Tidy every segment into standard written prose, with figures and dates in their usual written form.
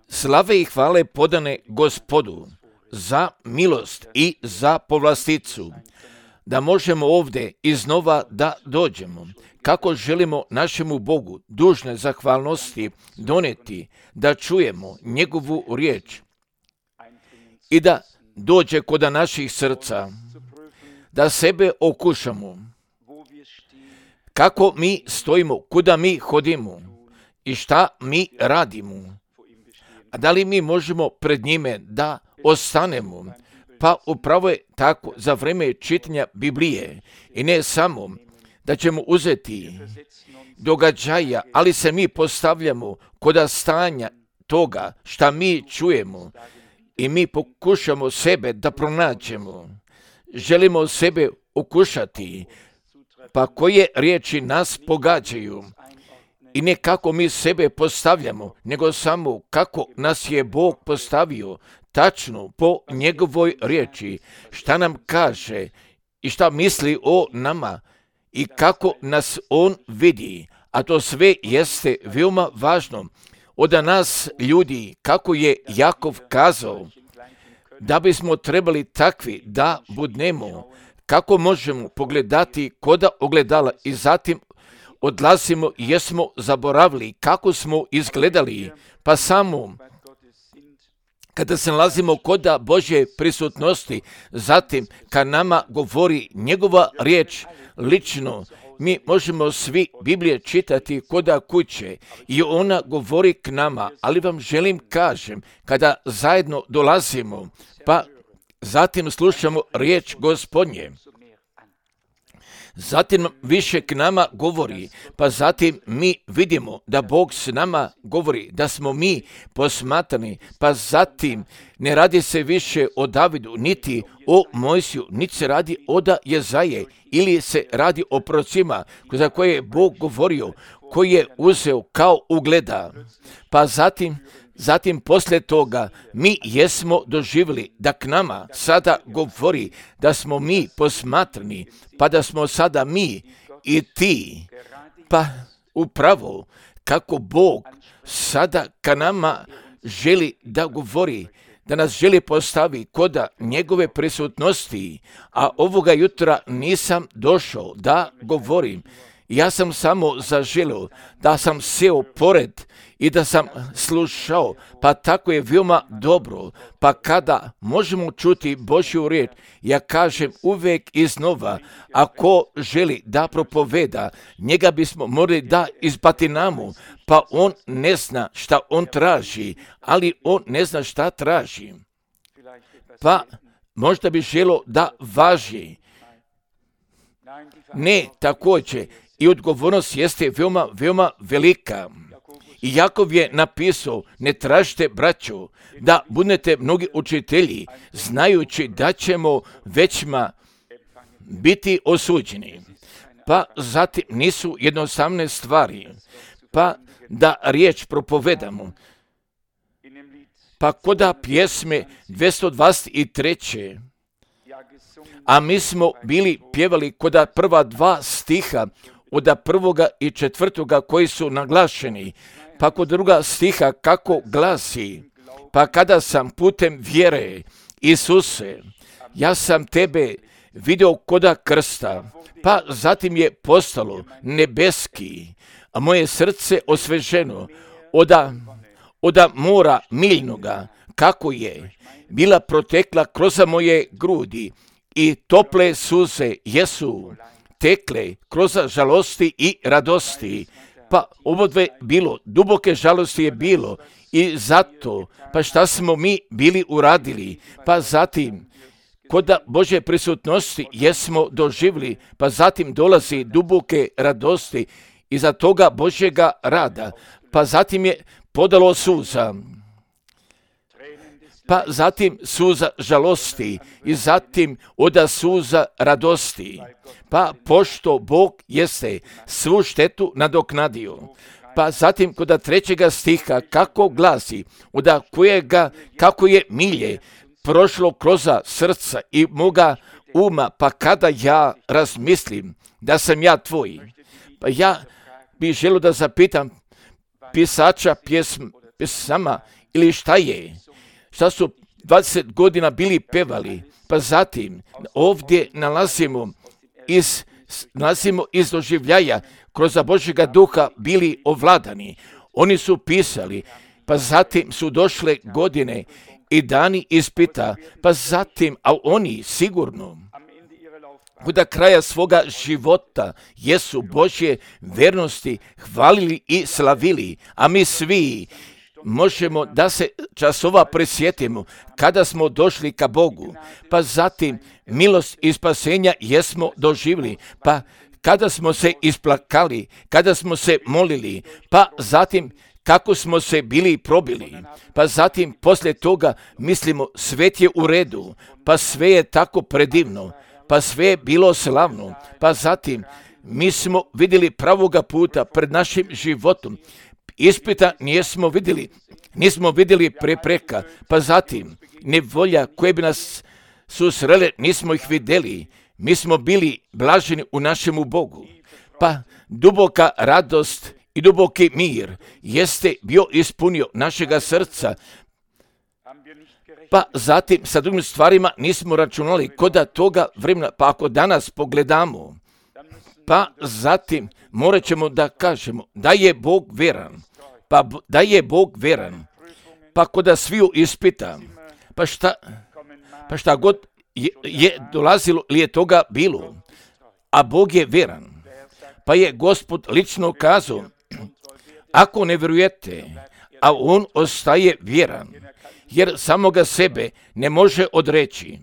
Slave i hvale podane Gospodu za milost i za povlasticu, da možemo ovdje iznova da dođemo. Kako želimo našemu Bogu dužne zahvalnosti doneti, da čujemo njegovu riječ i da dođe kod naših srca, da sebe okušamo, kako mi stojimo, kuda mi hodimo i šta mi radimo. A da li mi možemo pred njime da ostanemo? Pa upravo je tako za vrijeme čitanja Biblije i ne samo da ćemo uzeti događaja, ali se mi postavljamo kod stanja toga šta mi čujemo i mi pokušamo sebe da pronađemo. Želimo sebe okušati, pa koje riječi nas pogađaju i ne kako mi sebe postavljamo, nego samo kako nas je Bog postavio tačno po njegovoj riječi, šta nam kaže i šta misli o nama i kako nas on vidi, a to sve jeste veoma važno od nas ljudi, kako je Jakov kazao, da bismo trebali takvi da budnemo, kako možemo pogledati koda ogledala i zatim odlazimo i jesmo zaboravili kako smo izgledali, pa samo kada se nalazimo koda Božje prisutnosti, zatim kad nama govori njegova riječ lično, mi možemo svi Biblije čitati koda kuće i ona govori k nama, ali vam želim kažem, kada zajedno dolazimo, pa zatim slušamo riječ Gospodnje, zatim više k nama govori, pa zatim mi vidimo da Bog s nama govori, da smo mi posmatrani, pa zatim ne radi se više o Davidu, niti o Mojsiju, niti se radi o Jezaje, ili se radi o prorocima za koje je Bog govorio, koji je uzeo kao ugleda, pa zatim poslije toga mi jesmo doživjeli da k nama sada govori da smo mi posmatrani, pa da smo sada mi i ti, pa upravo kako Bog sada ka nama želi da govori, da nas želi postavi koda njegove prisutnosti, a ovoga jutra nisam došao da govorim. Ja sam samo zaželio da sam seo pored i da sam slušao, pa tako je veoma dobro, pa kada možemo čuti Božju riječ, ja kažem uvijek iznova, ako želi da propoveda, njega bismo morali da izbatinamo, pa on ne zna šta on traži, ali on ne zna šta traži. Pa možda bi želio da važi. Ne, također, i odgovornost jeste veoma velika. I Jakov je napisao, ne tražite, braćo, da budete mnogi učitelji, znajući da ćemo većma biti osuđeni. Pa zatim nisu jednostavne stvari, pa da riječ propovedamo. Pa koda pjesme 223. A mi smo bili pjevali koda prva 2 stiha, od 1. i 4. koji su naglašeni, pa kod 2. stiha kako glasi, pa kada sam putem vjere, Isuse, ja sam tebe vidio koda krsta, pa zatim je postalo nebeski, a moje srce osveženo od mora miljnoga, kako je bila protekla kroz moje grudi i tople suze jesu tekle kroz žalosti i radosti. Pa obodve bilo, duboke žalosti je bilo i zato, pa šta smo mi bili uradili, pa zatim kod Božje prisutnosti jesmo doživjeli, pa zatim dolazi duboke radosti iza toga Božjega rada, pa zatim je podalo suza, pa zatim suza žalosti i zatim oda suza radosti. Pa pošto Bog jeste svu štetu nadoknadio. Pa zatim kod 3. stiha kako glasi, oda kojega kako je milje prošlo kroz srca i moga uma, pa kada ja razmislim da sam ja tvoj. Pa ja bih želio da zapitam pisača pesama ili šta je? Šta su 20 godina bili pevali? Pa zatim ovdje nalazimo iz doživljaja kroz Božjega duha bili ovladani. Oni su pisali, pa zatim su došle godine i dani ispita, pa zatim, a oni sigurno do kraja svoga života jesu Božje vernosti hvalili i slavili, a mi svi možemo da se časova prisjetimo kada smo došli ka Bogu, pa zatim milost i spasenja jesmo doživjeli, pa kada smo se isplakali, kada smo se molili, pa zatim kako smo se bili probili, pa zatim poslije toga mislimo svet je u redu, pa sve je tako predivno, pa sve je bilo slavno, pa zatim mi smo vidjeli pravoga puta pred našim životom, ispita nismo vidjeli prepreka, pa zatim nevolja koje bi nas susrele nismo ih vidjeli, mi smo bili blaženi u našemu Bogu, pa duboka radost i duboki mir jeste bio ispunio našega srca, pa zatim sa drugim stvarima nismo računali koda toga vremena, pa ako danas pogledamo, pa zatim morat ćemo da kažemo da je Bog veran, pa koda sviju ispita, pa šta god je dolazilo ili je toga bilo, a Bog je veran, pa je Gospod lično kazao, ako ne vjerujete, a on ostaje vjeran, jer samoga sebe ne može odreći.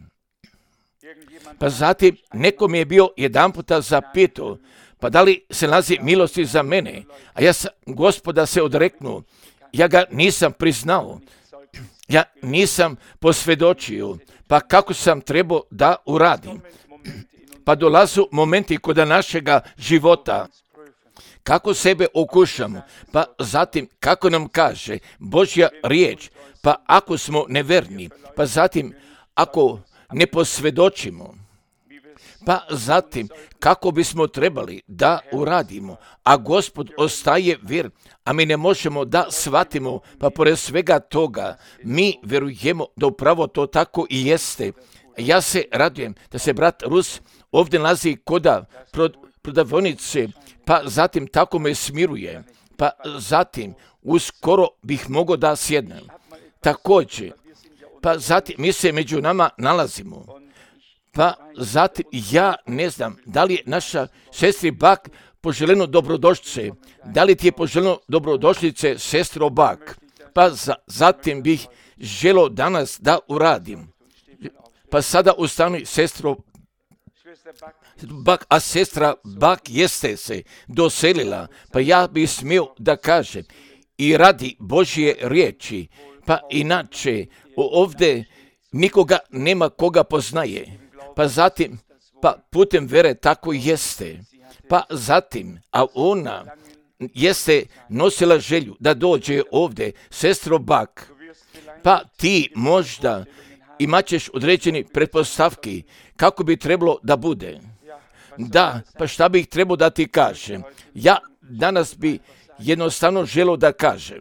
Pa zatim nekom je bio jedan puta zapitao, pa da li se nalazi milosti za mene, a ja sam Gospoda se odreknuo, ja ga nisam priznao, ja nisam posvjedočio, pa kako sam trebao da uradim. Pa dolazu momenti kod našega života, kako sebe okušamo, pa zatim kako nam kaže Božja riječ, pa ako smo neverni, pa zatim ako ne posvjedočimo, pa zatim kako bismo trebali da uradimo, a Gospod ostaje vjer, a mi ne možemo da shvatimo, pa pored svega toga mi vjerujemo da upravo to tako i jeste. Ja se radujem da se brat Rus ovdje nalazi koda prodavnice, pa zatim tako me smiruje, pa zatim uskoro bih mogao da sjednem. Također, pa zatim mi se među nama nalazimo, pa zatim ja ne znam da li je naša sestri Bak poželjeno dobrodošlice, da li ti je poželjeno dobrodošlice sestro Bak, pa zatim bih želio danas da uradim. Pa sada ustani sestro Bak, a sestra Bak jeste se doselila, pa ja bih smio da kažem i radi Božje riječi, pa inače ovdje nikoga nema koga poznaje, pa zatim pa putem vere tako jeste, pa zatim, a ona jeste nosila želju da dođe ovdje, sestro Bak, pa ti možda imat ćeš određeni pretpostavki kako bi trebalo da bude. Da, pa šta bih trebao da ti kažem? Ja danas bi jednostavno želio da kažem.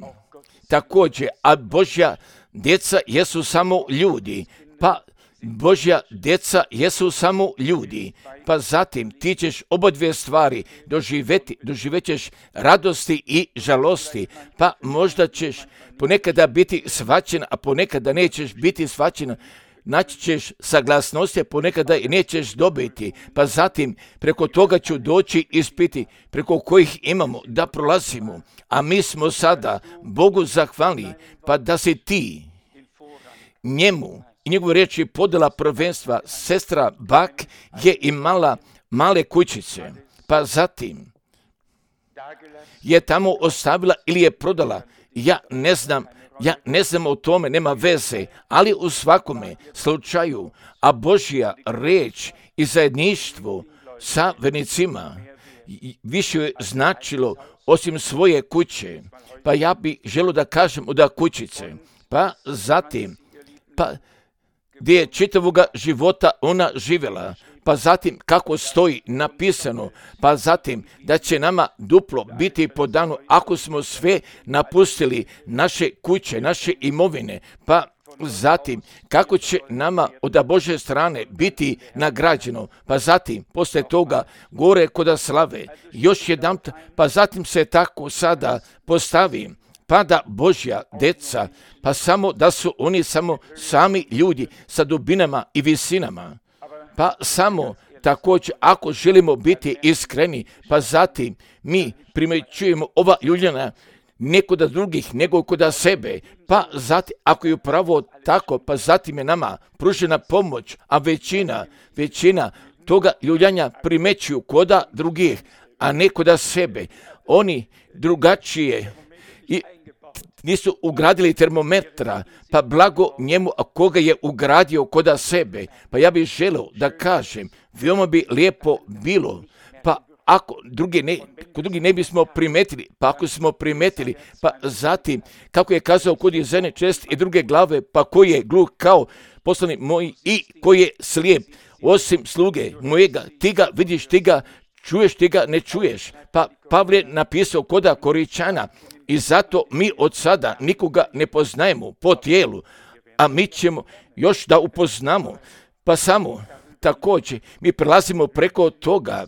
Također, a Božja djeca jesu samo ljudi, pa Božja djeca jesu samo ljudi, pa zatim ti ćeš oba dvije stvari doživjet ćeš radosti i žalosti, pa možda ćeš ponekada biti shvaćen, a ponekada nećeš biti shvaćen, naći ćeš saglasnosti, a ponekada i nećeš dobiti, pa zatim preko toga ću doći ispiti preko kojih imamo da prolazimo, a mi smo sada Bogu zahvalni, pa da si ti njemu i njegove riječi podela prvenstva. Sestra Bak je imala male kućice, pa zatim je tamo ostavila ili je prodala. Ja ne znam o tome, nema veze, ali u svakome slučaju, a Božja riječ i zajedništvo sa vernicima više je značilo osim svoje kuće, pa ja bih želio da kažem da kućice, pa zatim, pa gdje je čitavoga života ona živjela, pa zatim kako stoji napisano, pa zatim da će nama duplo biti po danu ako smo sve napustili, naše kuće, naše imovine, pa zatim kako će nama od Božje strane biti nagrađeno, pa zatim poslije toga gore kod slave, još jedan, pa zatim se tako sada postavi, pa da Božja deca, pa samo da su oni samo sami ljudi sa dubinama i visinama, pa samo također ako želimo biti iskreni, pa zatim mi primjećujemo ova ljuljana ne kod drugih, nego kod sebe, pa zatim, ako je upravo tako, pa zatim je nama pružena pomoć, a većina toga ljuljanja primećuju kod drugih, a ne kod sebe. Oni drugačije i nisu ugradili termometra, pa blago njemu, a koga je ugradio kod sebe. Pa ja bih želio da kažem, veoma bi lijepo bilo, pa ako kod drugi ne bismo primetili, pa ako smo primetili, pa zatim, kako je kazao kod Jezene čest i druge glave, pa koji je gluh kao poslanik moj i koji je slijep, osim sluge mojega, ti ga vidiš, ti ga čuješ, ti ga ne čuješ. Pa Pavle napisao kod Koričana, i zato mi od sada nikoga ne poznajemo po tijelu, a mi ćemo još da upoznamo, pa samo također mi prelazimo preko toga.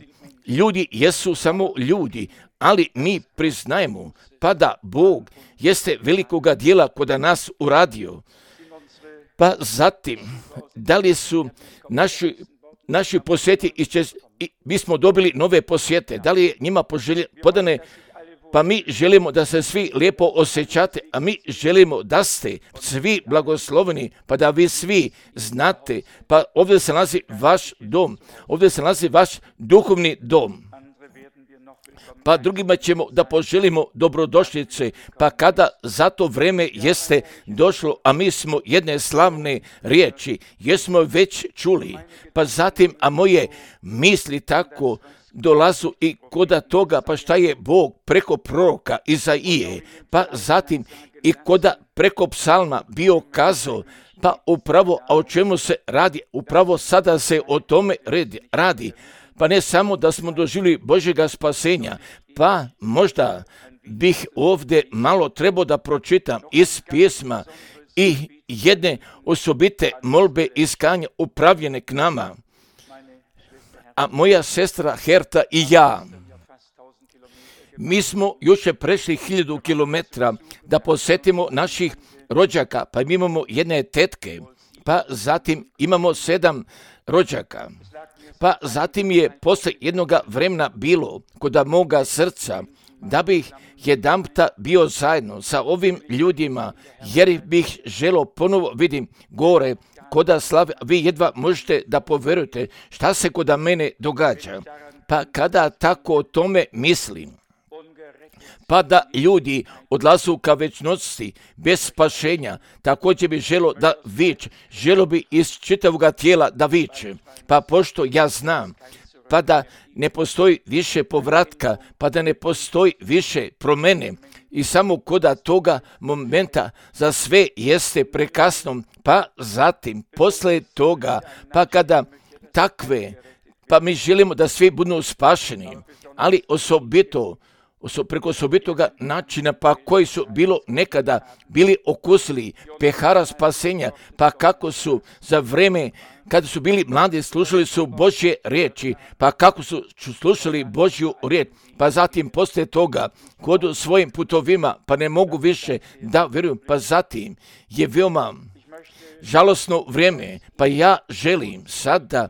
Ljudi jesu samo ljudi, ali mi priznajemo pa da Bog jeste velikoga dijela kod nas uradio. Pa zatim, da li su naši posjeti i mi smo dobili nove posjete, da li je njima podane, pa mi želimo da se svi lijepo osjećate, a mi želimo da ste svi blagosloveni, pa da vi svi znate, pa ovdje se nalazi vaš dom, ovdje se nalazi vaš duhovni dom. Pa drugima ćemo da poželimo dobrodošlice, pa kada za to vreme jeste došlo, a mi smo jedne slavne riječi, jesmo već čuli, pa zatim, a moje misli tako dolazu i kod toga, pa šta je Bog preko proroka Izaije, pa zatim i preko psalma bio kazao, pa upravo, a o čemu se radi, upravo sada se o tome radi, pa ne samo da smo doživjeli Božjega spasenja, pa možda bih ovdje malo trebao da pročitam iz pjesma i jedne osobite molbe iskanja upravljene k nama. A moja sestra Herta i ja, mi smo jučer prešli 1000 kilometra da posjetimo naših rođaka, pa mi imamo jedne tetke, pa zatim imamo 7 rođaka, pa zatim je poslije jednoga vremena bilo kod moga srca da bih jedanputa bio zajedno sa ovim ljudima, jer bih želio ponovo vidim gore kod slave, vi jedva možete da poverujete šta se kod mene događa. Pa kada tako o tome mislim, pa da ljudi odlazu ka večnosti bez spašenja, također bi želio da viče, želio bi iz čitavoga tijela da viče, pa pošto ja znam, pa da ne postoji više povratka, pa da ne postoji više promjene i samo kod toga momenta za sve jeste prekasno, pa zatim posle toga, pa kada takve, pa mi želimo da svi budu spašeni, ali preko osobitoga načina, pa koji su nekada bili okusili pehara spasenja, pa kako su za vreme kada su bili mladi slušali su Božje riječi, pa kako su slušali Božju riječ, pa zatim poslije toga kod svojim putovima, pa ne mogu više da vjeruju, pa zatim je veoma žalosno vrijeme, pa ja želim sada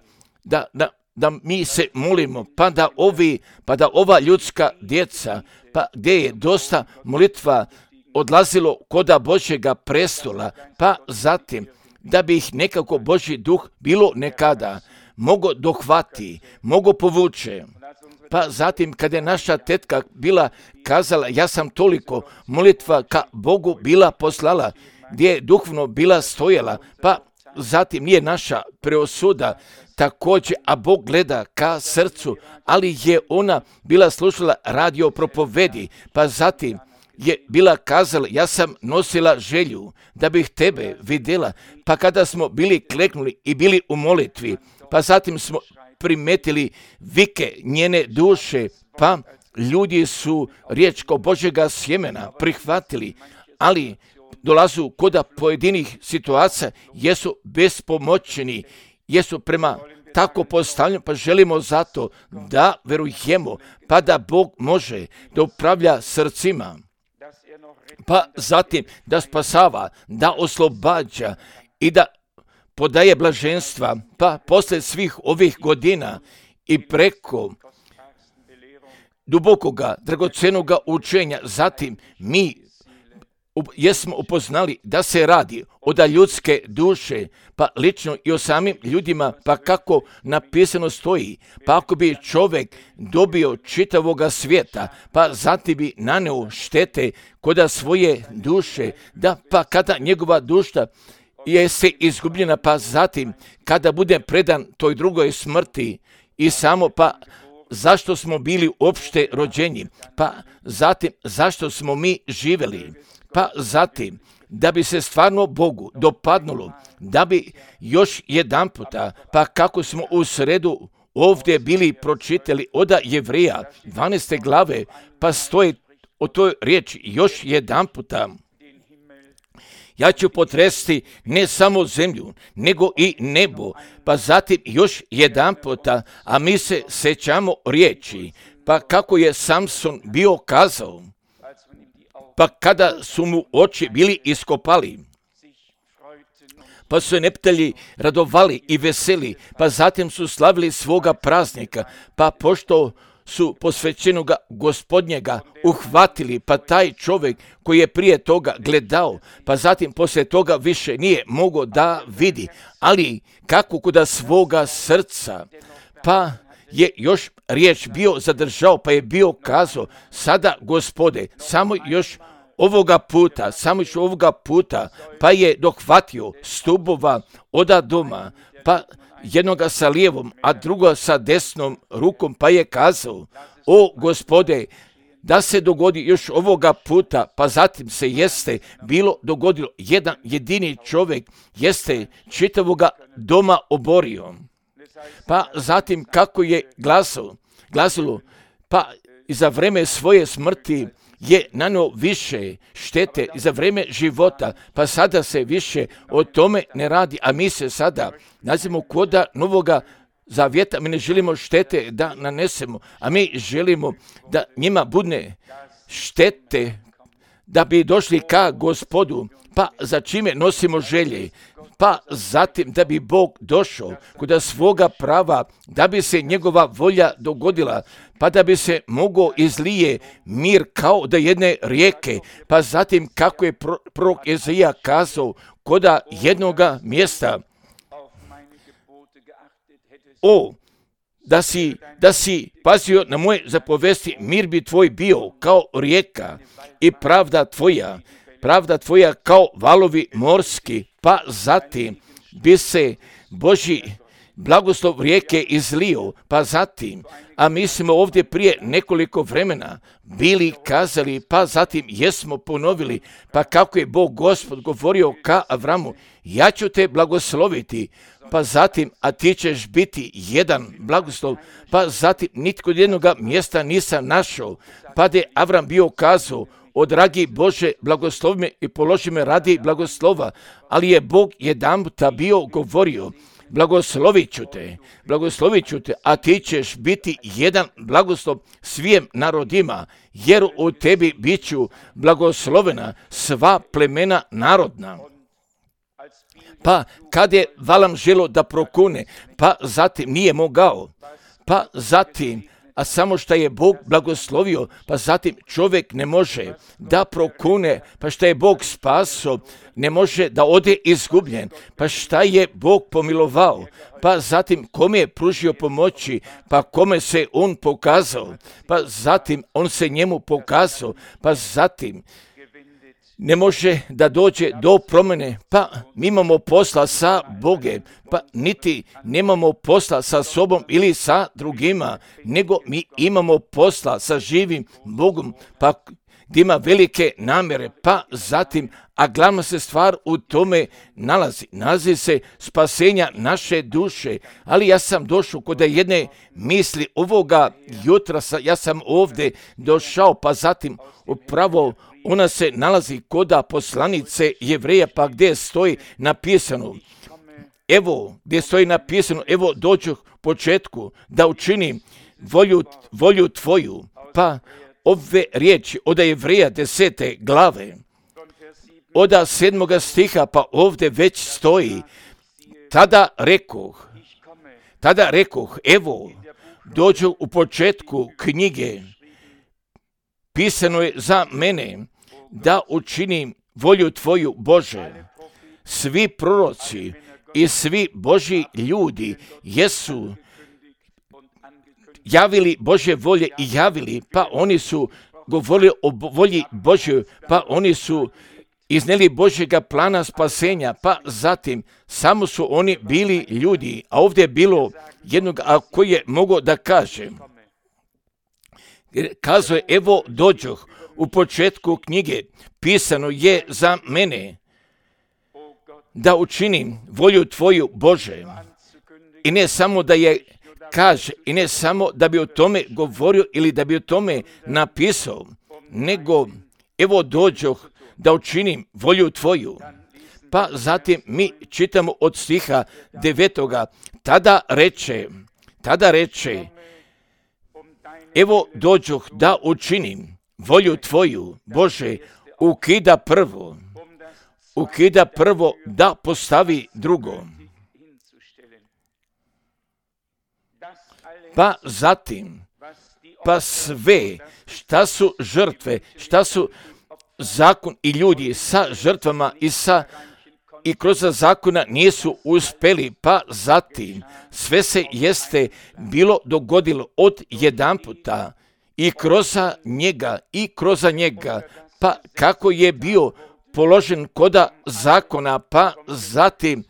da mi se molimo, pa da ova ljudska djeca, pa gdje je dosta molitva odlazilo kod Božjega prestola, pa zatim da bi ih nekako Božji duh bilo nekada mogo dohvati, mogo povuče. Pa zatim kada je naša tetka bila kazala, ja sam toliko molitva ka Bogu bila poslala, gdje je duhovno bila stojala, pa zatim nije naša preosuda također, a Bog gleda ka srcu, ali je ona bila slušala radio propovedi, pa zatim je bila kazala, ja sam nosila želju da bih tebe vidjela, pa kada smo bili kleknuli i bili u molitvi, pa zatim smo primetili vike njene duše, pa ljudi su riječ kao Božjega sjemena prihvatili, ali dolazu kod pojedinih situacija, jesu bespomoćni, jesu prema tako postavljeni, pa želimo zato da verujemo, pa da Bog može da upravlja srcima, pa zatim da spasava, da oslobađa i da podaje blaženstva, pa posle svih ovih godina i preko dubokoga, dragocenoga učenja, zatim mi jesmo upoznali da se radi od ljudske duše, pa lično i o samim ljudima, pa kako napisano stoji, pa ako bi čovjek dobio čitavoga svijeta, pa zatim bi naneo štete kod svoje duše, da pa kada njegova duša je se izgubljena, pa zatim kada bude predan toj drugoj smrti i samo pa zašto smo bili uopšte rođeni, pa zatim zašto smo mi živjeli, pa zatim da bi se stvarno Bogu dopadnulo, da bi još jedan puta, pa kako smo u sredu ovdje bili pročitali od Jevrija 12. glave, pa stoji o toj riječi još jedan puta. Ja ću potresti ne samo zemlju, nego i nebo, pa zatim još jedan puta, a mi se sećamo riječi, pa kako je Samson bio kazao, pa kada su mu oči bili iskopali, pa su neptelji radovali i veseli, pa zatim su slavili svoga praznika, pa pošto su posvećenoga Gospodnjega uhvatili, pa taj čovjek koji je prije toga gledao, pa zatim poslije toga više nije mogao da vidi, ali kako kod svoga srca, pa je još riječ bio zadržao, pa je bio kazao, sada Gospode, samo još ovoga puta, pa je dohvatio stubova oda doma, pa jednoga sa lijevom, a druga sa desnom rukom, pa je kazao, o Gospode, da se dogodi još ovoga puta, pa zatim se jeste bilo dogodilo, jedan jedini čovjek jeste čitavoga doma oborio. Pa zatim kako je glasilo, pa i za vreme svoje smrti je nanio više štete i za vrijeme života, pa sada se više o tome ne radi, a mi se sada nazivamo koda novoga zavjeta, mi ne želimo štete da nanesemo, a mi želimo da njima bude štete, da bi došli ka Gospodu, pa za čime nosimo želje, pa zatim da bi Bog došao kod svoga prava, da bi se njegova volja dogodila, pa da bi se mogao izlije mir kao da jedne rijeke, pa zatim kako je prorok Ezaija kazao kod jednoga mjesta, o, da si pazio na moje zapovesti, mir bi tvoj bio kao rijeka i pravda tvoja kao valovi morski, pa zatim bi se Božji blagoslov rijeke izlio, pa zatim, a mi smo ovdje prije nekoliko vremena bili kazali, pa zatim jesmo ponovili, pa kako je Bog Gospod govorio ka Avramu, ja ću te blagosloviti, pa zatim, a ti ćeš biti jedan blagoslov, pa zatim nitko od jednoga mjesta nisam našao, pa da je Avram bio kazao, o dragi Bože, blagoslovi me i položi me radi blagoslova, ali je Bog jedanputa bio govorio, blagoslovit ću te, a ti ćeš biti jedan blagoslov svim narodima, jer u tebi bit ću blagoslovena sva plemena narodna. Pa kad je Valam želo da prokune, pa zatim nije mogao, pa zatim, a samo što je Bog blagoslovio, pa zatim čovjek ne može da prokune, pa što je Bog spaso, ne može da ode izgubljen, pa šta je Bog pomilovao, pa zatim kome je pružio pomoći, pa kome se on pokazao, pa zatim on se njemu pokazao, pa zatim ne može da dođe do promjene, pa mi imamo posla sa Bogem, pa niti nemamo posla sa sobom ili sa drugima, nego mi imamo posla sa živim Bogom, pa da ima velike namjere, pa zatim, a glavna se stvar u tome nalazi se spasenja naše duše. Ali ja sam došao kod jedne misli ovoga jutra, ja sam ovdje došao, pa zatim upravo ona se nalazi kod poslanice Jevreja, pa gdje stoji napisano, evo gdje stoji napisano, evo dođu početku da učinim volju tvoju, pa ove riječi od Jevreja 10. glave, od 7. stiha, pa ovdje već stoji, tada rekoh, evo, dođu u početku knjige, pisano je za mene, da učinim volju tvoju, Bože. Svi proroci i svi Božji ljudi jesu javili Božje volje i javili, pa oni su govorili o volji Božjoj, pa oni su iznijeli Božjega plana spasenja, pa zatim samo su oni bili ljudi, a ovdje je bilo jednog koji je mogao da kaže. Kazao je, evo dođoh, u početku knjige pisano je za mene, da učinim volju tvoju, Bože. I ne samo da je kaže, i ne samo da bi o tome govorio ili da bi o tome napisao, nego evo dođoh da učinim volju tvoju. Pa zatim mi čitamo od stiha 9. Tada reče, evo dođoh da učinim volju tvoju, Bože, ukida prvo da postavi drugo. Pa zatim, pa sve šta su žrtve, šta su zakon i ljudi sa žrtvama i kroz zakona nisu uspjeli, pa zatim sve se jeste bilo dogodilo od jedan puta i kroz njega, pa kako je bio položen koda zakona, pa zatim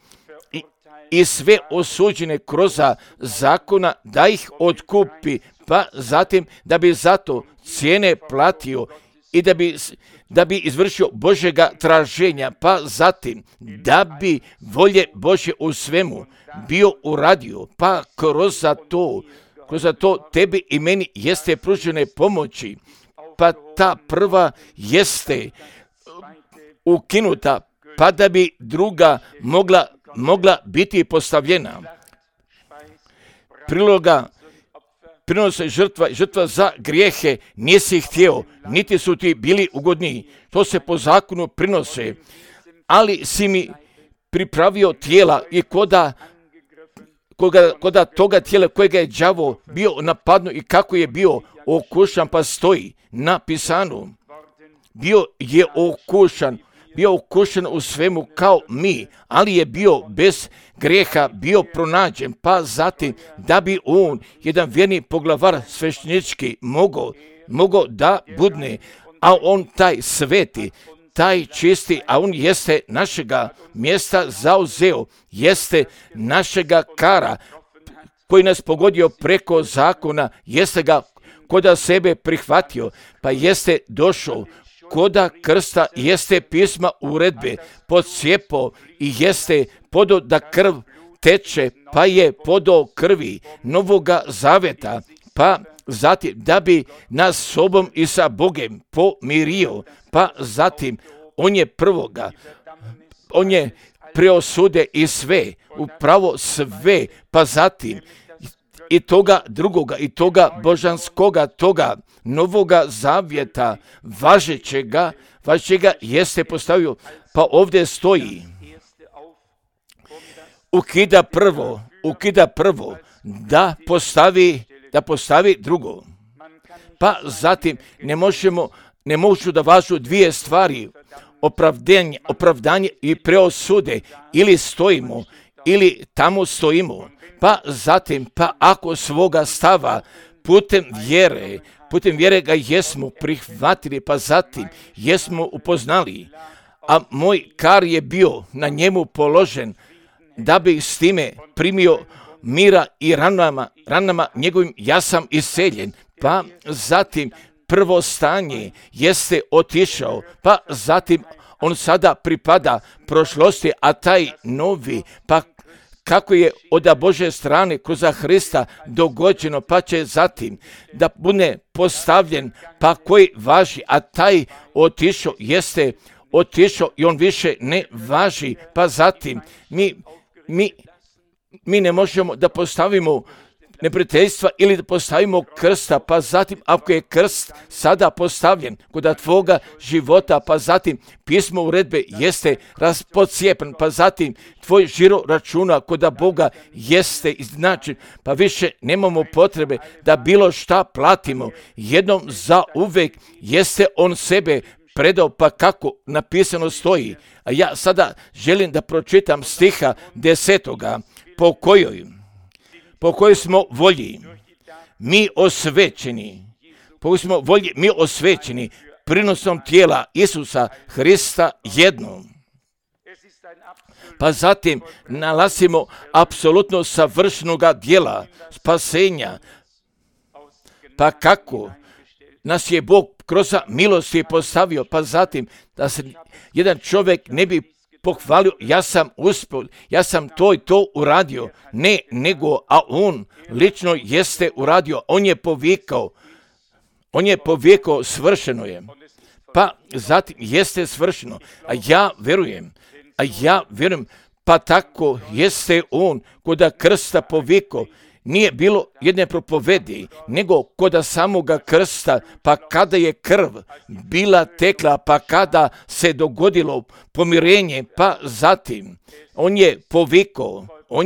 i sve osuđene kroz zakona da ih otkupi, pa zatim da bi zato cijene platio i da bi izvršio Božjega traženja, pa zatim da bi volje Božje u svemu bio uradio, pa kroz to tebi i meni jeste pružene pomoći, pa ta prva jeste ukinuta, pa da bi druga mogla biti postavljena. Priloga prinose žrtva za grijehe nisi htio, niti su ti bili ugodni. To se po zakonu prinose, ali si mi pripravio tijela i koda toga tijela kojega je đavo bio napadno i kako je bio okušan, pa stoji napisano, bio je okušan u svemu kao mi, ali je bio bez grijeha, bio pronađen, pa zatim da bi on, jedan vjerni poglavar sveštenički, mogao da budne, a on taj sveti, taj čisti, a on jeste našega mjesta zauzeo, jeste našega kara, koji nas pogodio preko zakona, jeste ga koda sebe prihvatio, pa jeste došao koda krsta, jeste pisma uredbe podsjepo i jeste podo da krv teče, pa je podo krvi novoga zaveta, pa zatim da bi nas sobom i sa Bogem pomirio, pa zatim on je preosude i sve, upravo sve, pa zatim i toga drugoga, i toga božanskoga, toga novoga zavjeta, važećega jeste postavio, pa ovdje stoji, ukida prvo, da postavi drugo. Pa zatim ne možu da važu dvije stvari, opravdanje i preosude, ili stojimo, ili tamo stojimo. Pa zatim, pa ako svoga stava putem vjere ga jesmo prihvatili, pa zatim jesmo upoznali, a moj kar je bio na njemu položen, da bi s time primio mira i ranama njegovim ja sam iseljen, pa zatim prvo stanje jeste otišao, pa zatim on sada pripada prošlosti, a taj novi, pa kako je od Božje strane kroz Hrista dogođeno, pa će zatim da bude postavljen, pa koji važi, a taj otišao jeste otišao i on više ne važi, pa zatim mi ne možemo da postavimo neprijateljstva ili da postavimo krsta, pa zatim ako je krst sada postavljen kod tvoga života, pa zatim pismo uredbe jeste raspodcijepen, pa zatim tvoj žiro računa kod Boga jeste iznačen, pa više nemamo potrebe da bilo šta platimo. Jednom za uvek jeste on sebe predao, pa kako napisano stoji. A ja sada želim da pročitam stiha 10. po kojoj smo volji mi osvećeni prinosom tijela Isusa Hrista jednom. Pa zatim nalazimo apsolutno savršenoga djela spasenja. Pa kako nas je Bog kroz milosti postavio, pa zatim da se jedan čovjek ne bi pohvalio, ja sam uspio, ja sam to i to uradio. Ne, nego, a on lično jeste uradio, on je povikao, svršeno je. Pa zatim jeste svršeno, a ja vjerujem, pa tako jeste on kod krsta povikao. Nije bilo jedne propovedi, nego kod samoga krsta, pa kada je krv bila tekla, pa kada se dogodilo pomirenje, pa zatim on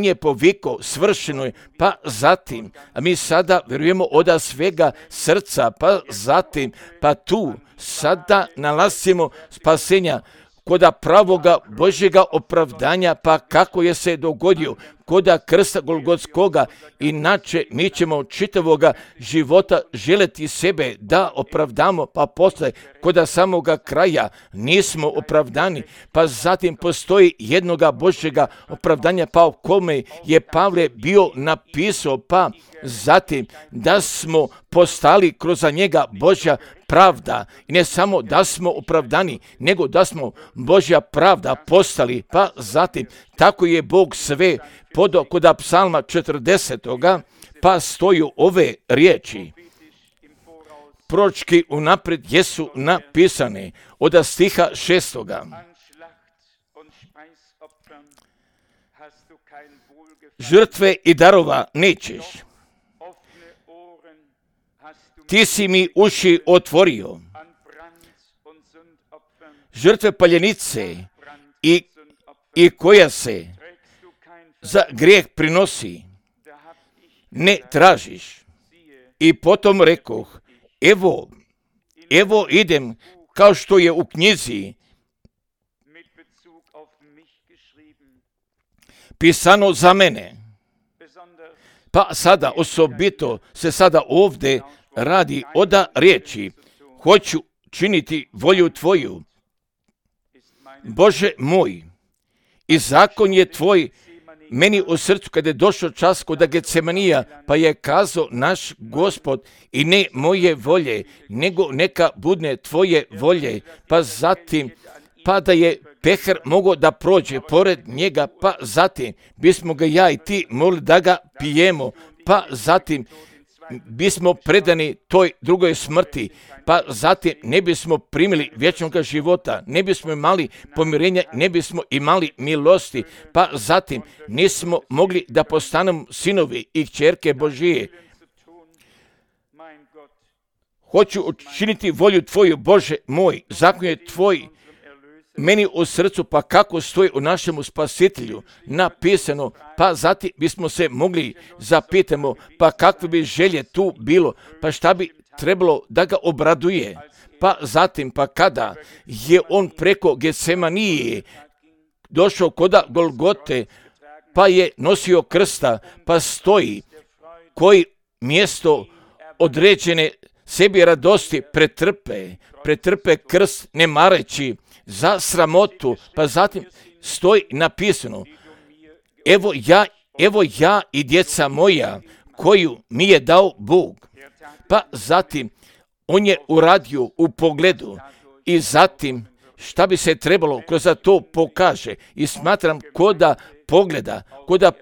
je povikao, svršeno je, pa zatim, a mi sada vjerujemo od svega srca, pa zatim, pa tu sada nalazimo spasenja kod pravoga Božjega opravdanja, pa kako je se dogodio kod krsta Golgotskoga. Inače mi ćemo čitavoga života želeti sebe da opravdamo, pa posle kod samoga kraja nismo opravdani, pa zatim postoji jednoga Božjega opravdanja, pa o kome je Pavle bio napisao, pa zatim da smo postali kroz njega Božja pravda. I ne samo da smo opravdani, nego da smo Božja pravda postali, pa zatim tako je Bog sve podao kod psalma 40. pa stoju ove riječi. Proročki unaprijed jesu napisane od stiha 6. Žrtve i darova nećeš. Ti si mi uši otvorio. Žrtve paljenice i koja se za grijeh prinosi, ne tražiš. I potom rekoh, evo idem kao što je u knjizi pisano za mene. Pa sada osobito se sada ovdje radi od riječi, hoću činiti volju tvoju. Bože moj, i zakon je tvoj meni u srcu kada je došao čas kod Getsemanija, pa je kazao naš Gospod, i ne moje volje, nego neka budne tvoje volje. Pa zatim, pa da je pehar mogao da prođe pored njega, pa zatim bismo ga ja i ti molili da ga pijemo, pa zatim bismo predani toj drugoj smrti, pa zatim ne bismo primili vječnog života, ne bismo imali pomirenja, ne bismo imali milosti, pa zatim nismo mogli da postanemo sinovi i kćerke Božije. Hoću učiniti volju tvoju, Bože moj, zakon je tvoj meni u srcu, pa kako stoji u našemu Spasitelju napisano, pa zatim bismo se mogli zapitamo, pa kakve bi želje tu bilo, pa šta bi trebalo da ga obraduje, pa zatim, pa kada je on preko Getsemanije došao kod Golgote, pa je nosio krsta, pa stoji koji mjesto određene sebi radosti pretrpe krst ne mareći za sramotu, pa zatim stoji napisano, evo ja i djeca moja koju mi je dao Bog. Pa zatim On je uradio u pogledu i zatim šta bi se trebalo kroz to pokaže. I smatram ko da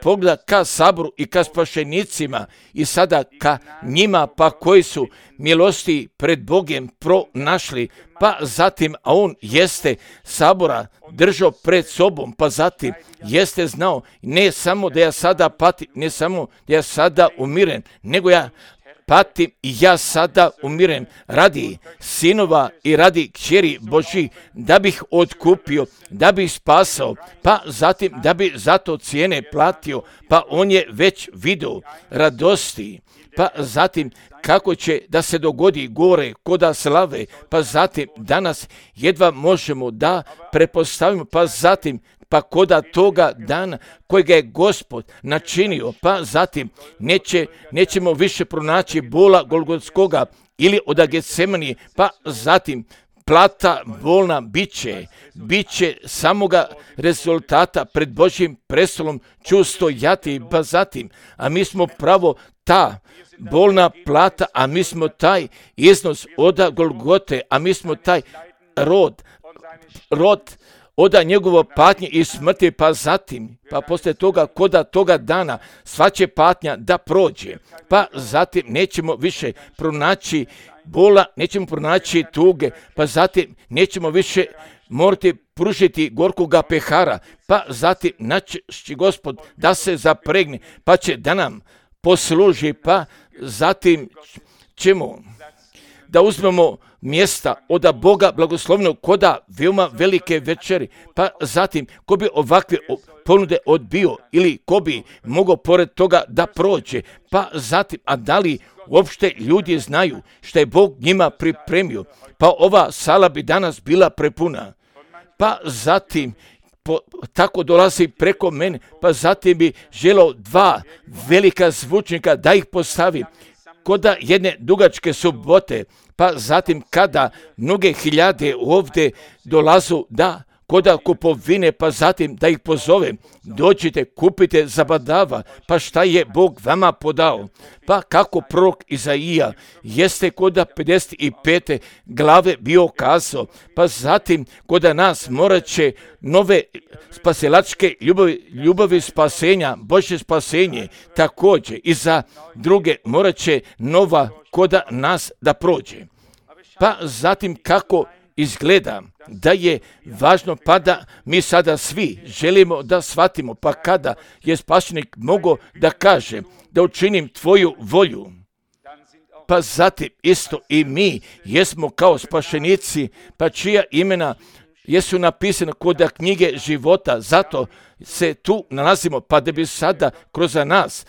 pogleda ka saboru i ka spašenicima i sada ka njima pa koji su milosti pred Bogom pronašli, pa zatim, a on jeste sabora držao pred sobom, pa zatim jeste znao ne samo da ja sada patim, ne samo da ja sada umiren, nego ja patim i ja sada umiren radi sinova i radi kćeri Božji, da bih otkupio, da bih spasao, pa zatim da bi zato cijene platio, pa on je već video radosti, pa zatim kako će da se dogodi gore koda slave, pa zatim danas jedva možemo da prepostavimo, pa zatim pa koda toga dana kojega je Gospod načinio, pa zatim nećemo više pronaći bola Golgotskoga ili od Getsemanije, pa zatim plata bolna biće samoga rezultata pred Božjim prestolom ću stojati, pa zatim, a mi smo pravo ta bolna plata, a mi smo taj iznos od Golgote, a mi smo taj rod oda njegovo patnje i smrti, pa zatim, pa poslije toga, koda toga dana, sva će patnja da prođe, pa zatim nećemo više pronaći bola, nećemo pronaći tuge, pa zatim nećemo više morati pružiti gorkoga pehara, pa zatim naći Gospod da se zapregne, pa će da nam posluži, pa zatim ćemo da uzmemo mjesta od Boga blagoslovnog koda veoma velike večeri, pa zatim ko bi ovakve ponude odbio ili ko bi mogao pored toga da prođe, pa zatim, a da li uopšte ljudi znaju što je Bog njima pripremio, pa ova sala bi danas bila prepuna, pa zatim tako dolazi preko mene, pa zatim bi želeo 2 velika zvučnika da ih postavi koda jedne dugačke subote, pa zatim kada mnoge hiljade ovdje dolazu da koda kupovine, pa zatim da ih pozovem, dođite, kupite zabadava, pa šta je Bog vama podao, pa kako prorok Izaija jeste koda 55. glave bio kazao, pa zatim koda nas morat će nove spasilačke ljubavi spasenja, Božje spasenje, također i za druge morat će nova koda nas da prođe. Pa zatim kako izgleda da je važno, pa da mi sada svi želimo da shvatimo, pa kada je spašenik mogao da kaže da učinim tvoju volju, pa zatim isto i mi jesmo kao spašenici, pa čija imena jesu napisana kod knjige života, zato se tu nalazimo, pa da bi sada kroz nas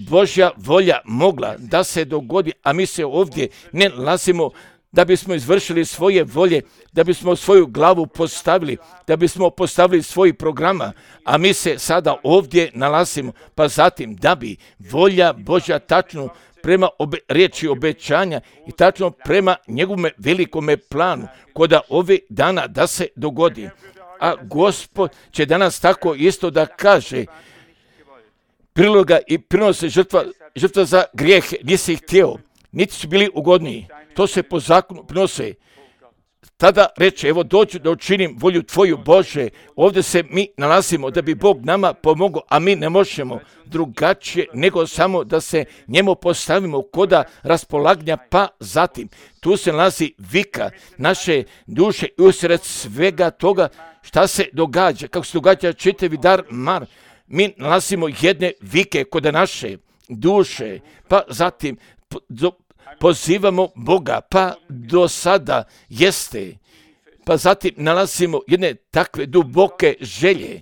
Božja volja mogla da se dogodi, a mi se ovdje ne nalazimo da bismo izvršili svoje volje, da bismo svoju glavu postavili, da bismo postavili svoj programa, a mi se sada ovdje nalazimo, pa zatim da bi volja Božja tačno prema riječi obećanja i tačno prema njegovome velikome planu koda ove dana da se dogodi. A Gospod će danas tako isto da kaže, priloga i prinose žrtva za grijeh, nisi ih htio, niti su bili ugodniji. To se po zakonu prinose. Tada reče, evo dođu da učinim volju tvoju Bože. Ovdje se mi nalazimo da bi Bog nama pomogao, a mi ne možemo drugačije nego samo da se njemu postavimo koda raspolaganja, pa zatim tu se nalazi vika naše duše i usred svega toga šta se događa, kako se događa čitavi dar mar. Mi nalazimo jedne vike kod naše duše, pa zatim pozivamo Boga, pa do sada jeste, pa zatim nalazimo jedne takve duboke želje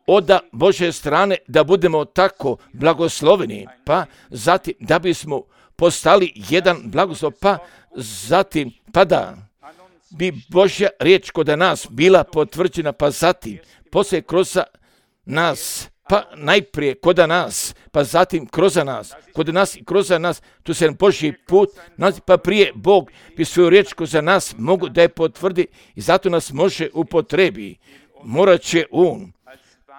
od Božje strane da budemo tako blagosloveni, pa zatim da bismo postali jedan blagoslov, pa zatim pa da bi Božja riječ kod nas bila potvrđena, pa zatim poslije kroz nas, pa najprije kod nas, pa zatim kroz nas, kod nas i kroz nas, tu se Božji put, pa prije Bog bi svoju riječ kroz nas mogu da je potvrdi i zato nas može upotrebi. Morat će On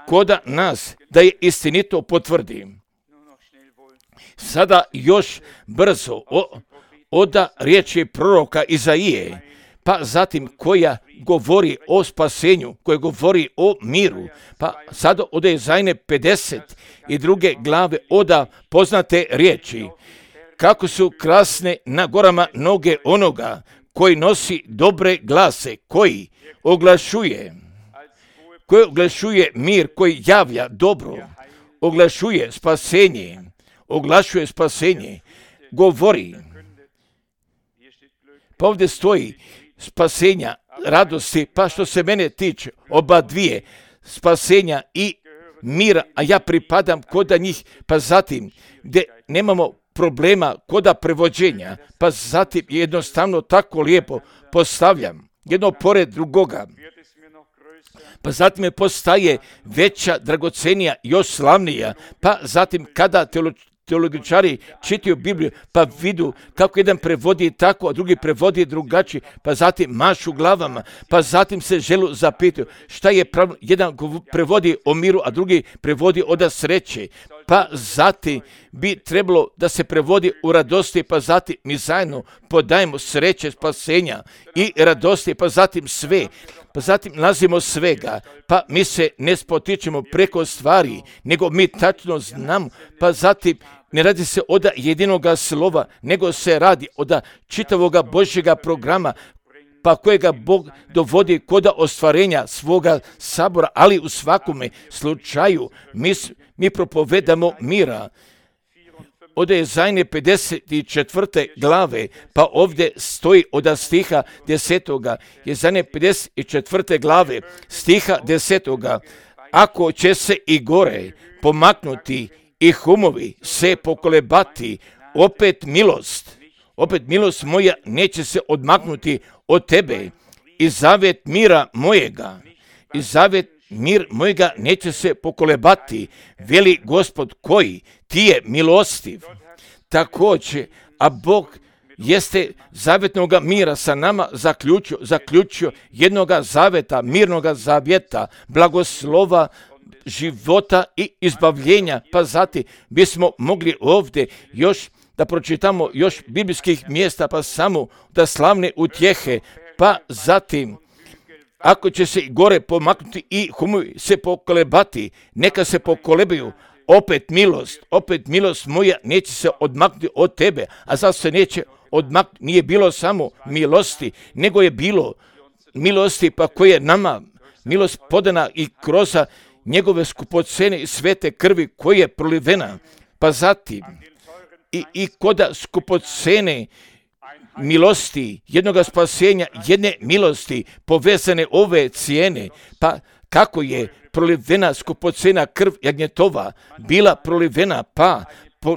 kod nas da je istinito potvrdi. Sada još brzo oda riječi proroka Izaije, pa zatim koja govori o spasenju, koja govori o miru, pa sada od Izajine 52. glave oda poznate riječi, kako su krasne na gorama noge onoga koji nosi dobre glase, koji oglašuje mir, koji javlja dobro, oglašuje spasenje, govori. Pa ovdje stoji spasenja, radosti, pa što se mene tiče, oba dvije, spasenja i mira, a ja pripadam koda njih, pa zatim gdje nemamo problema koda prevođenja, pa zatim jednostavno tako lijepo postavljam jedno pored drugoga. Pa zatim je postaje veća, dragocenija, još slavnija, pa zatim kada teologičari čitaju Bibliju, pa vidu kako jedan prevodi tako, a drugi prevodi drugačije, pa zatim mašu glavama, pa zatim se želu zapitaju šta je pravno, jedan prevodi o miru, a drugi prevodi od sreće, pa zatim bi trebalo da se prevodi u radosti, pa zatim mi zajedno podajemo sreće, spasenja i radosti, pa zatim sve. Pa zatim nalazimo svega, pa mi se ne spotičemo preko stvari, nego mi tačno znamo, pa zatim ne radi se od jedinoga slova, nego se radi od čitavoga Božjega programa, pa kojega Bog dovodi kod ostvarenja svoga sabora, ali u svakome slučaju mi propovedamo mira. Od Izajine 54. glave, pa ovdje stoji od stiha 10. Izajine 54. glave, stiha 10. Ako će se i gore pomaknuti i humovi se pokolebati, opet milost moja neće se odmaknuti od tebe i zavet mira mojega, mir mojega neće se pokolebati, veli Gospod koji ti je milostiv. Također, a Bog jeste zavetnoga mira sa nama zaključio jednoga zaveta, mirnoga zavjeta, blagoslova, života i izbavljenja. Pa zatim bismo mogli ovdje još da pročitamo još biblijskih mjesta, pa samo da slavne utjehe, pa zatim ako će se gore pomaknuti i humovi se pokolebati, neka se pokolebaju, opet milost moja neće se odmaknuti od tebe, a sad se neće odmaknuti, nije bilo samo milosti, nego je bilo milosti pa koje nama milost podana i kroz njegove skupocene i svete krvi koje je prolivena, pa zatim i koda skupocene milosti, jednoga spasenja, jedne milosti, povezane ove cijene, pa kako je prolivena skupocena krv jagnjetova bila prolivena, pa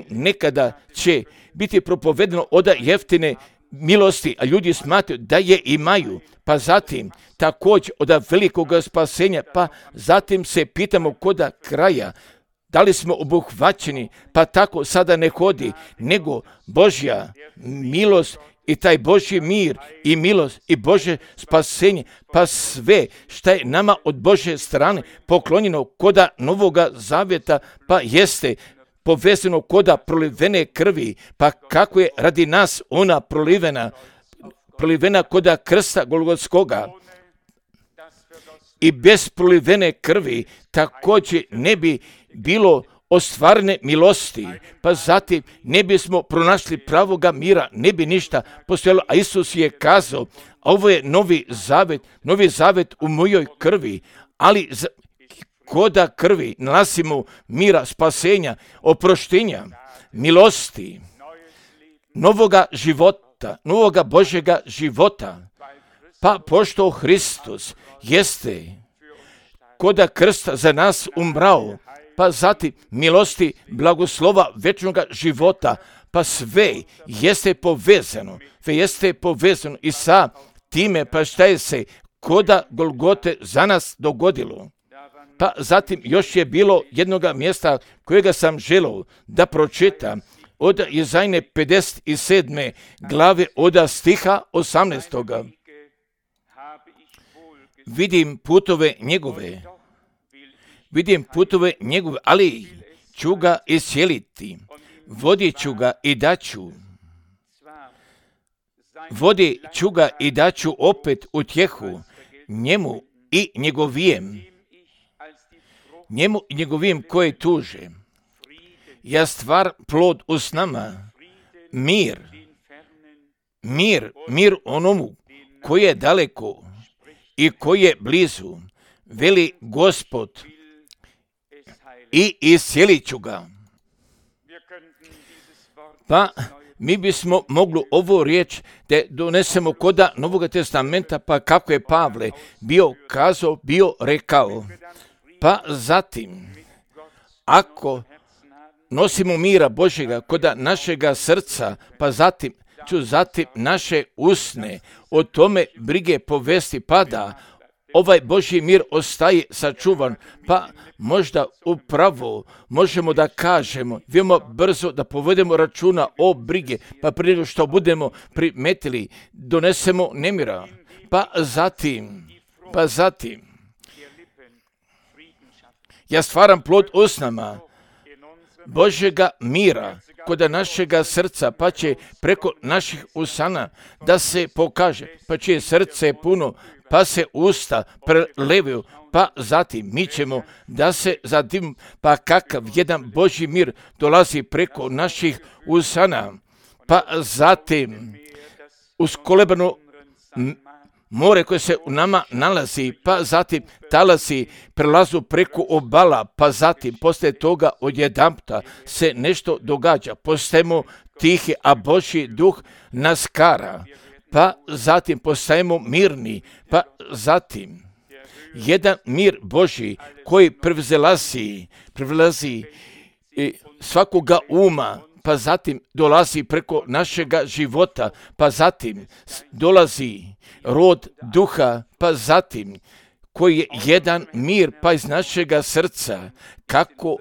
nekada će biti propovedeno od jeftine milosti, a ljudi smatraju da je imaju, pa zatim također od velikog spasenja, pa zatim se pitamo koda kraja, da li smo obuhvaćeni, pa tako sada ne hodi, nego Božja milost i taj Božji mir i milost i Božje spasenje, pa sve što je nama od Božje strane poklonjeno koda Novoga Zavjeta, pa jeste povezano koda prolivene krvi, pa kako je radi nas ona prolivena koda krsta Golgotskoga. I bez prolivene krvi također ne bi bilo ostvarene milosti, pa zatim ne bismo pronašli pravoga mira, ne bi ništa postojalo, a Isus je kazao, a ovo je novi zavet u mojoj krvi, ali koda krvi nalazimo mira, spasenja, oproštenja, milosti, novoga života, novoga Božjega života, pa pošto Hristos jeste koda krsta za nas umrao, pa zatim milosti, blagoslova večnoga života, pa sve jeste povezano i sa time, pa šta je se koda Golgote za nas dogodilo. Pa zatim još je bilo jednoga mjesta kojega sam želio da pročitam od Izajine 57. glave od stiha 18. Vidim putove njegove, ali ću ga iscijeliti, vodit ću ga i daću vodit ću ga i daću opet utjehu njemu i njegovijem koje tuže. Ja stvar plod usnama, mir onomu koji je daleko i koji je blizu, veli Gospod, i iscijelit ću ga. Pa mi bismo mogli ovu riječ da donesemo koda Novog testamenta, pa kako je Pavle bio rekao. Pa zatim, ako nosimo mira Božjega koda našega srca, pa zatim naše usne o tome brige povesti, pa da ovaj Božji mir ostaje sačuvan, pa možda upravo možemo da kažemo, veoma brzo da povedemo računa o brige, pa prije nego što budemo primetili, donesemo nemira, pa zatim, ja stvaram plod usnama Božjega mira kod našega srca, pa će preko naših usana da se pokaže, pa će srce puno, pa se usta prelevaju, pa zatim mi ćemo da se zatim, pa kakav jedan Božji mir dolazi preko naših usana, pa zatim uz kolebano more koje se u nama nalazi, pa zatim talasi prelazu preko obala, pa zatim posle toga odjedanputa se nešto događa, postajemo tihi, a Božji duh nas kara, pa zatim postajemo mirni, pa zatim jedan mir Božji koji prevlazi svakoga uma, pa zatim dolazi preko našega života, pa zatim dolazi rod duha, pa zatim koji je jedan mir, pa iz našega srca, kako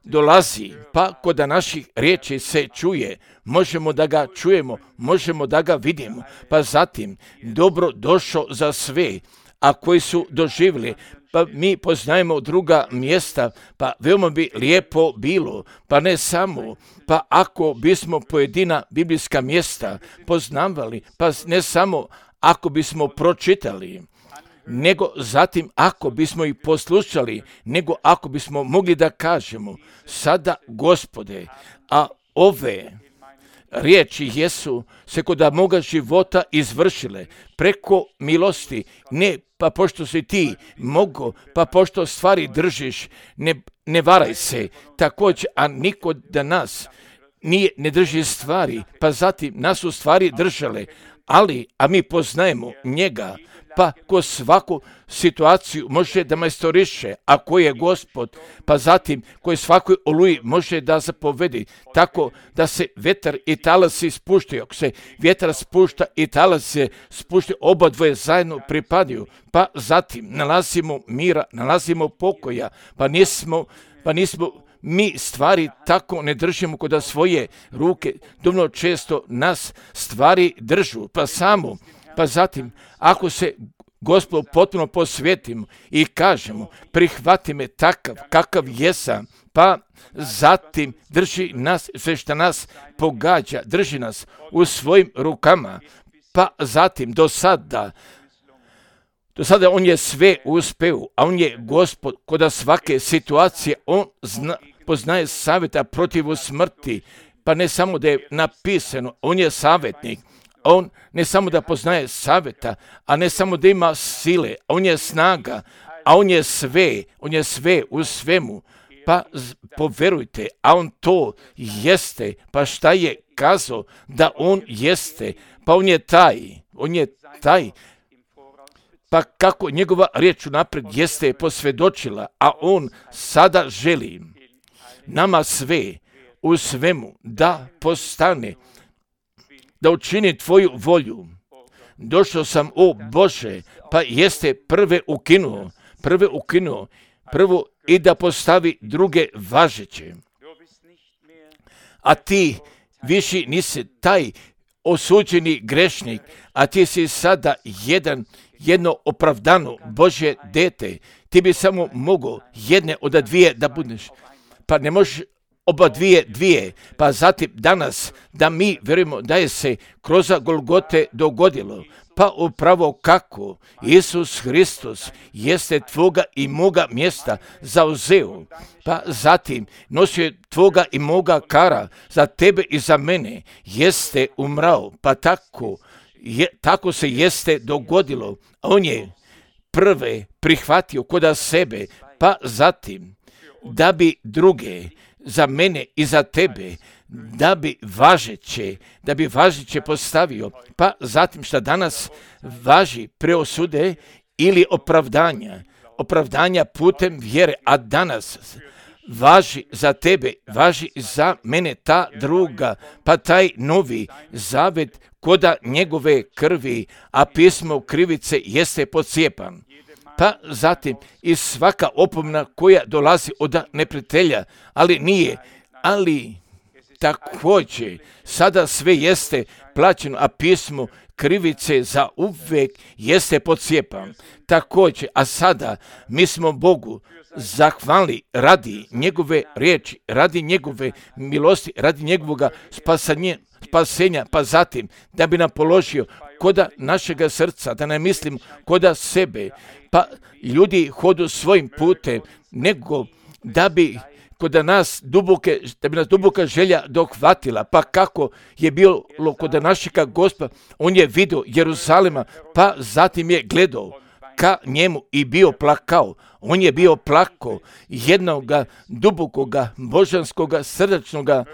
dolazi, pa kod naših riječi se čuje, možemo da ga čujemo, možemo da ga vidimo, pa zatim dobro došao za sve, a koji su doživjeli, pa mi poznajemo druga mjesta, pa veoma bi lijepo bilo, pa ne samo, pa ako bismo pojedina biblijska mjesta poznavali, pa ne samo ako bismo pročitali, nego zatim ako bismo ih poslušali, nego ako bismo mogli da kažemo, sada Gospode, a ove riječi jesu se kod moga života izvršile preko milosti, ne pa pošto si ti mogo, pa pošto stvari držiš, ne varaj se, također, a niko da nas ne drži stvari, pa zatim nas u stvari držale, a mi poznajemo njega, pa ko svaku situaciju može da majstoriše, a ko je Gospod, pa zatim koji svakoj oluji može da zapovedi, tako da se vetar i talasi spuštaju. Ako se vjetar spušta i talasi se spuštaju, oba dvoje zajedno pripadaju, pa zatim nalazimo mira, nalazimo pokoja, pa nismo mi stvari tako ne držimo kod svoje ruke, dovoljno često nas stvari držu, pa zatim ako se Gospodu potpuno posvetimo i kažemo prihvati me takav kakav jesam, pa zatim drži nas sve što nas pogađa, drži nas u svojim rukama, pa zatim do sada on je sve uspeo, a on je Gospod kod svake situacije, on poznaje savjeta protiv smrti, pa ne samo da je napisano, on je savjetnik, on ne samo da poznaje savjeta, a ne samo da ima sile, on je snaga, a on je sve u svemu, pa poverujte, a on to jeste, pa šta je kazao da on jeste, pa on je taj, pa kako njegova riječ unaprijed jeste posvjedočila, a on sada želi nama sve u svemu da postane, da učini tvoju volju. Došao sam, o Bože, pa jeste prve ukinuo, prvo i da postavi druge važeće. A ti više nisi taj osuđeni grešnik, a ti si sada jedno opravdano Božje dete. Ti bi samo mogao jedne od dvije da budeš. Pa ne možeš oba dvije, pa zatim danas da mi vjerujemo da je se kroz Golgote dogodilo, pa upravo kako Isus Hristos jeste tvoga i moga mjesta zauzeo, pa zatim nosio tvoga i moga kara za tebe i za mene, jeste umrao, pa tako se jeste dogodilo. On je prve prihvatio koda sebe, pa zatim da bi druge za mene i za tebe, da bi važeće postavio, pa zatim šta danas važi preosude ili opravdanja putem vjere, a danas važi za tebe, važi za mene ta druga, pa taj novi zavet koda njegove krvi, a pismo krivice jeste podcijepan. Pa zatim i svaka opomena koja dolazi od neprijatelja, ali također sada sve jeste plaćeno, a pismo krivice za uvijek jeste podcijepan. Također, a sada mi smo Bogu zahvalni radi njegove riječi, radi njegove milosti, radi njegovoga spasenja, pa zatim da bi nam položio koda našega srca, da ne mislim koda sebe, pa ljudi hodu svojim putem, nego da bi nas duboka želja dohvatila, pa kako je bilo kod našega Gospoda, on je vidio Jeruzalema, pa zatim je gledao ka njemu i bio plakao. On je bio plakao jednoga dubokoga, božanskoga, srdačnoga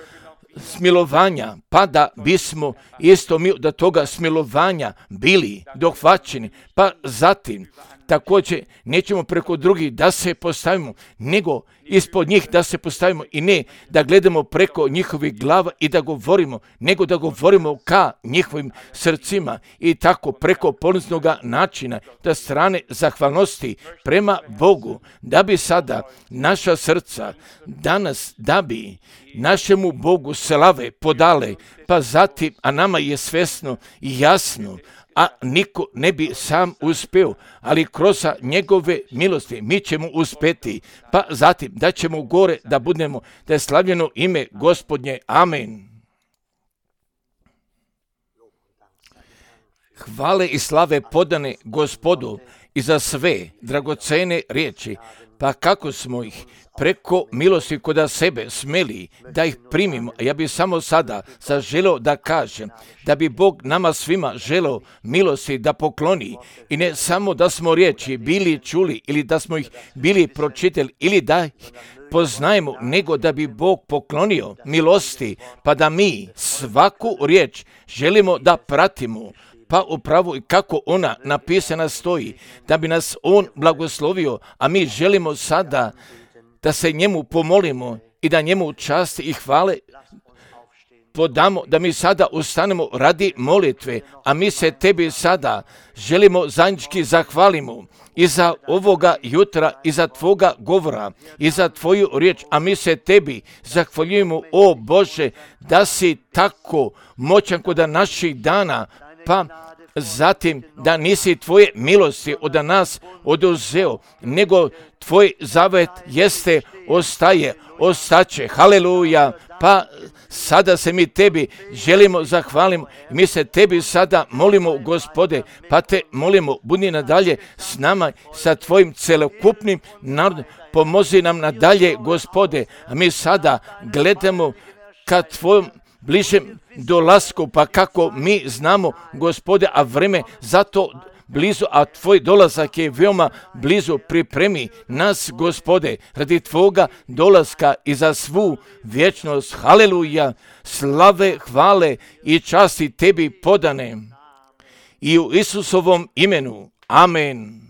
smilovanja, pa da bismo isto mi do toga smilovanja bili dohvaćeni, pa zatim također nećemo preko drugih da se postavimo, nego ispod njih da se postavimo i ne da gledamo preko njihovih glava i da govorimo, nego da govorimo ka njihovim srcima i tako preko poniznog načina, da strane zahvalnosti prema Bogu, da bi sada naša srca danas, da bi našemu Bogu slave podale, pa zatim, a nama je svjesno i jasno, a niko ne bi sam uspio, ali kroz njegove milosti mi ćemo uspjeti, pa zatim da ćemo gore da budemo, da je slavljeno ime Gospodnje. Amen. Hvale i slave podane Gospodu i za sve dragocene riječi, pa kako smo ih preko milosti koda sebe smeli da ih primimo. Ja bih samo sada zaželio da kažem da bi Bog nama svima želeo milosti da pokloni i ne samo da smo riječi bili čuli ili da smo ih bili pročitali ili da ih poznajemo, nego da bi Bog poklonio milosti, pa da mi svaku riječ želimo da pratimo, pa upravo i kako ona napisana stoji, da bi nas on blagoslovio, a mi želimo sada da se njemu pomolimo i da njemu časti i hvale podamo, da mi sada ustanemo radi molitve, a mi se tebi sada želimo zajednički zahvalimo i za ovoga jutra, i za tvoga govora, i za tvoju riječ, a mi se tebi zahvaljujemo, o Bože, da si tako moćan kod naših dana, pa zatim da nisi tvoje milosti od nas oduzeo, nego tvoj zavet jeste, ostaće, haleluja, pa sada se mi tebi želimo zahvalimo, mi se tebi sada molimo, Gospode, pa te molimo, budi nadalje s nama, sa tvojim celokupnim narodom, pomozi nam nadalje, Gospode, a mi sada gledamo ka tvojom bližem dolasku, pa kako mi znamo, Gospode, a vreme zato blizu, a tvoj dolazak je veoma blizu, pripremi nas, Gospode, radi tvoga dolaska i za svu vječnost. Haleluja, slave, hvale i časti tebi podane. I u Isusovom imenu. Amen.